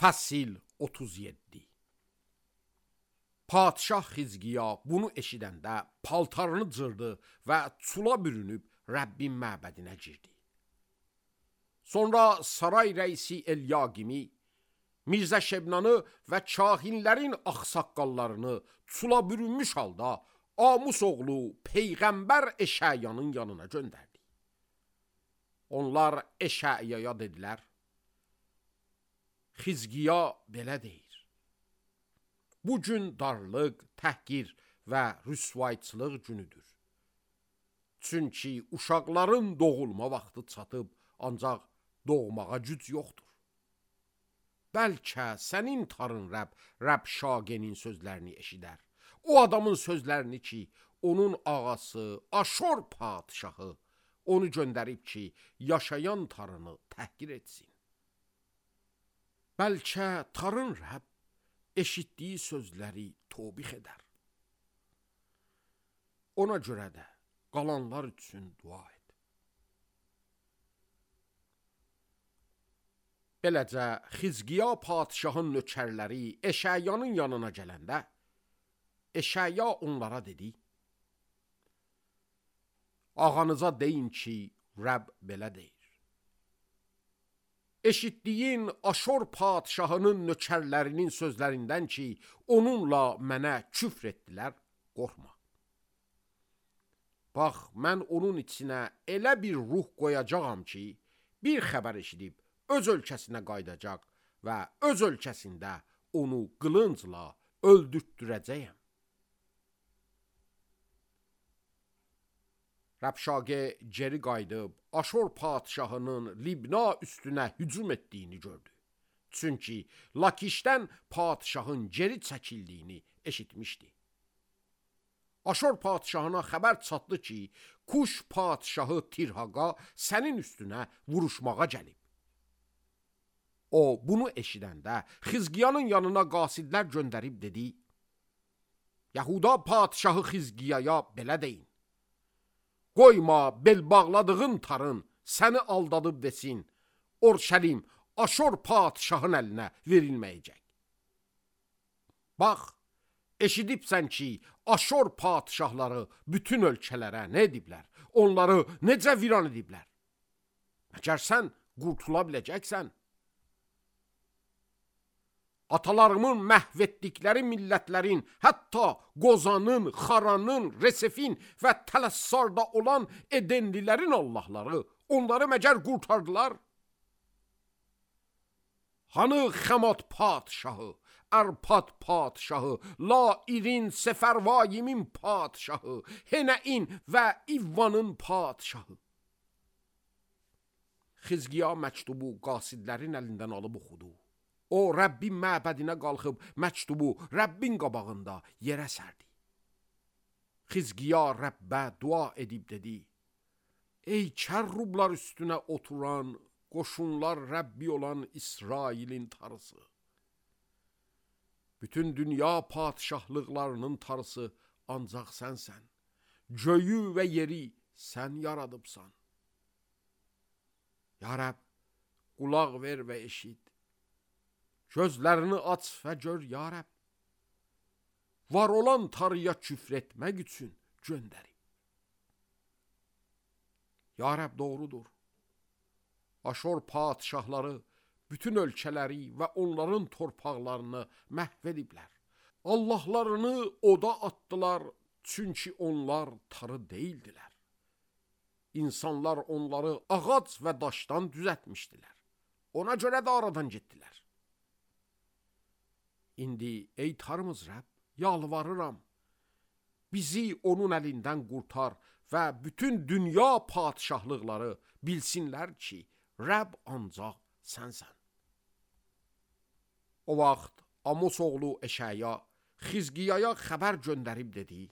Fəsil 37. Padişah Xizqiya bunu eşidəndə paltarını cırdı və çula bürünüb Rəbbin məbədinə girdi. Sonra saray rəisi Elyaqimi, Mirzə Şebnanı və kahinlərin ağsaqqallarını çula bürünmüş halda Amus oğlu Peyğəmbər Eşəyanın yanına göndərdi. Onlar Eşəyaya dedilər: Xizqiya belə deyir: bu gün darlıq, təhqir və rüsvayçılıq günüdür. Çünki uşaqların doğulma vaxtı çatıb, ancaq doğmağa güc yoxdur. Bəlkə sənin tarın Rəb Şagenin sözlərini eşidər. O adamın sözlərini ki, onun ağası Aşor padişahı onu göndərib ki, yaşayan tarını təhqir etsin. Bəlkə tarın Rəbb eşitdiyi sözləri tobix edər. Ona görə də qalanlar üçün dua et. Beləcə Xizqiya padişahın nökərləri Eşəyanın yanına gələndə, Eşəya onlara dedi: ağanıza deyin ki, Rəbb belə deyir: eşitdiyin Aşor padişahının nökərlərinin sözlərindən ki, onunla mənə küfr etdilər, qorxma. Bax, mən onun içinə elə bir ruh qoyacağam ki, bir xəbər eşidib öz ölkəsinə qaydacaq və öz ölkəsində onu qılıncla öldürtdürəcəyəm. Rəbşagə geri qayıdıb Aşor padişahının Libna üstünə hücum etdiyini gördü. Çünki Lakişdən padişahın geri çəkildiyini eşitmişdi. Aşor padişahına xəbər çatdı ki, Kuş padişahı Tirhaqa sənin üstünə vuruşmağa gəlib. O, bunu eşidəndə Xizqiyanın yanına qasidlər göndərib dedi: Yahuda padişahı Xizqiyaya belə deyin: qoyma bel bağladığın tarın səni aldadıb desin, Orşəlim Aşor padişahın əlinə verilməyəcək. Bax, eşidibsən ki, Aşor padişahları bütün ölkələrə nə ediblər, onları necə viran ediblər. Məgər sən qurtula biləcəksən? Atalarımın məhv etdikləri millətlərin, hətta Qozanın, Xaranın, Resefin və Tələssarda olan Edenlilərin Allahları onları məgər qurtardılar? Hanı Xəmat padişahı, Ərpad padişahı, Lairin, Sefərvayimin padişahı, Henəin və İvvanın padişahı? Xizqiya məktubu qasidlərin əlindən alıb oxudu. O, Rəbbin məbədinə qalxıb məktubu Rəbbin qabağında yerə sərdi. Xizqiya Rəbbə dua edib dedi: ey kərrublar üstünə oturan, qoşunlar Rəbbi olan İsrailin tarısı, bütün dünya padişahlıqlarının tarısı ancaq sənsən, göyü və yeri sən yaradıbsan. Ya Rəbb, qulaq ver və eşit. Gözlərini aç və gör, ya Rəbb. Var olan tarıya küfr etmək üçün göndərib. Ya Rəbb, doğrudur. Aşor padişahları bütün ölkələri və onların torpaqlarını məhv ediblər. Allahlarını oda atdılar, çünki onlar tarı deyildilər. İnsanlar onları ağac və daşdan düzətmişdilər. Ona görə də aradan getdilər. İndi ey tarımız Rəbb, yalvarıram, bizi onun əlindən qurtar və bütün dünya padişahlıqları bilsinlər ki, Rəbb ancaq sənsən. O vaxt Amos oğlu Eşəya Xizqiyaya xəbər göndərib dedi: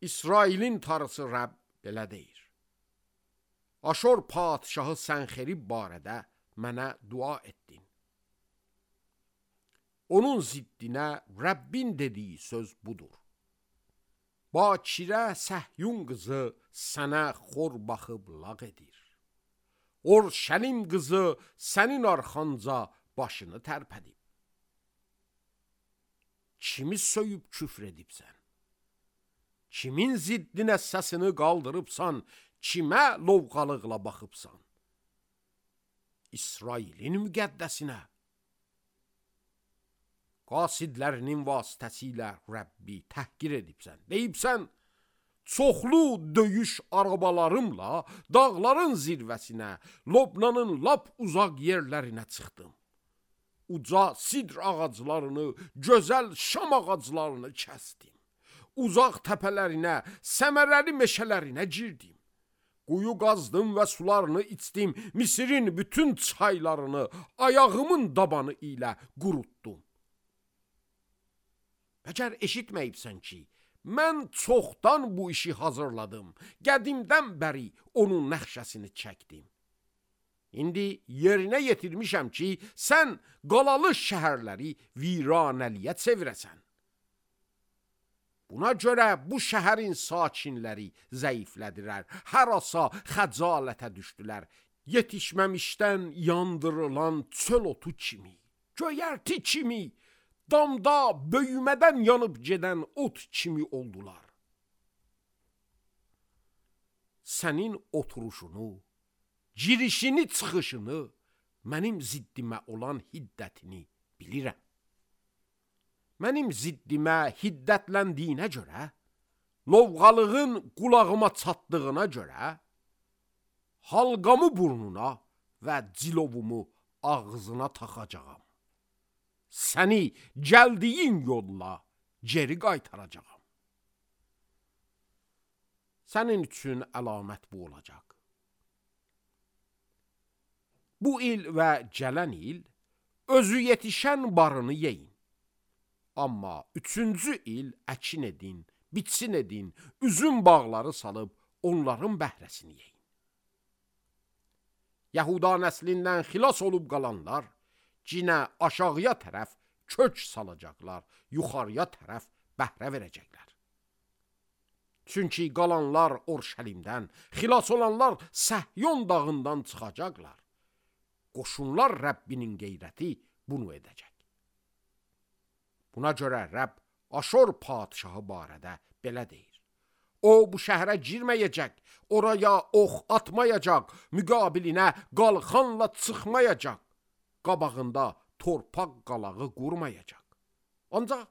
İsrailin tarısı Rəbb belə deyir: Aşor padişahı Sənxerib barədə mənə dua etdin. Onun ziddinə Rəbbin dediyi söz budur: Bakirə Səhyun qızı sənə xor baxıb lağ edir. Orşəlim qızı sənin arxanca başını tərpədib. Kimi söyüb küfr edibsən? Kimin ziddinə səsini qaldırıbsan? Kimə lovğalıqla baxıbsan? İsrailin müqəddəsinə. Qasidlərinin vasitəsilə Rəbbi təhqir edibsən. Deyibsən, çoxlu döyüş arabalarımla dağların zirvəsinə, Lobnanın lap uzaq yerlərinə çıxdım. Uca sidr ağaclarını, gözəl şam ağaclarını kəsdim. Uzaq təpələrinə, səmərəli meşələrinə girdim. Quyu qazdım və sularını içdim. Misirin bütün çaylarını ayağımın dabanı ilə qurutdum. Məgər eşitməyibsən ki, mən çoxdan bu işi hazırladım. Qədimdən bəri onun nəxşəsini çəkdim. İndi yerinə yetirmişəm ki, sən qalalı şəhərləri viranəliyə çevirəsən. Buna görə bu şəhərin sakinləri zəiflədilər, harasa xəcalətə düşdülər. Yetişməmişdən yandırılan çöl otu kimi, göyərti kimi, damda böyümədən yanıb gedən ot kimi oldular. Sənin oturuşunu, girişini, çıxışını, mənim ziddimə olan hiddətini bilirəm. Mənim ziddimə hiddətləndiyinə görə, lovğalığın qulağıma çatdığına görə, halqamı burnuna və cilovumu ağzına taxacağam. Səni gəldiyin yolla geri qaytaracağam. Sənin üçün əlamət bu olacaq. Bu il və gələn il özü yetişən barını yeyin. Amma 3-cü il əkin edin, bitsin edin, üzüm bağları salıb onların bəhrəsini yeyin. Yahuda nəslindən xilas olub qalanlar cinə aşağıya tərəf kök salacaqlar, yuxarıya tərəf bəhrə verəcəklər. Çünki qalanlar Orşəlimdən, xilas olanlar Səhyon dağından çıxacaqlar. Qoşunlar Rəbbinin qeyrəti bunu edəcək. Buna görə Rəbb Aşor padişahı barədə belə deyir. O bu şəhərə girməyəcək, oraya ox atmayacaq, müqabilinə qalxanla çıxmayacaq, qabağında torpaq qalağı qurmayacaq. Ancaq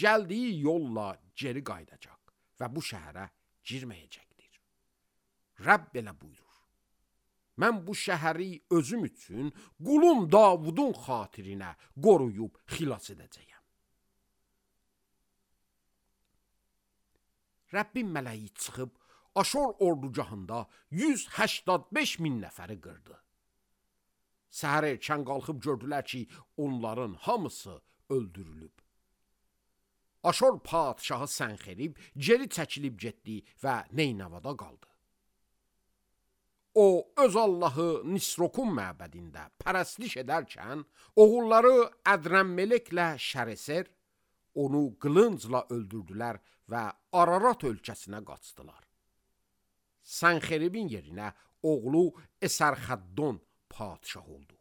gəldiyi yolla geri qayıdacaq və bu şəhərə girməyəcəkdir. Rəbb belə buyurur. Mən bu şəhəri özüm üçün qulum Davudun xatirinə qoruyub xilas edəcəyəm. Rəbbin mələyi çıxıb Aşor ordugahında 185 min nəfəri qırdı. Səhər erkən qalxıb gördülər ki, onların hamısı öldürülüb. Aşor padişahı Sənxerib geri çəkilib getdi və Neynəvada qaldı. O, öz Allahı Nisrokun məbədində pərəstlik edərkən, oğulları Ədrəmmeleklə Şəreser onu qılıncla öldürdülər və Ararat ölkəsinə qaçdılar. Sənxeribin yerinə oğlu Əsərxəddon padişah oldu.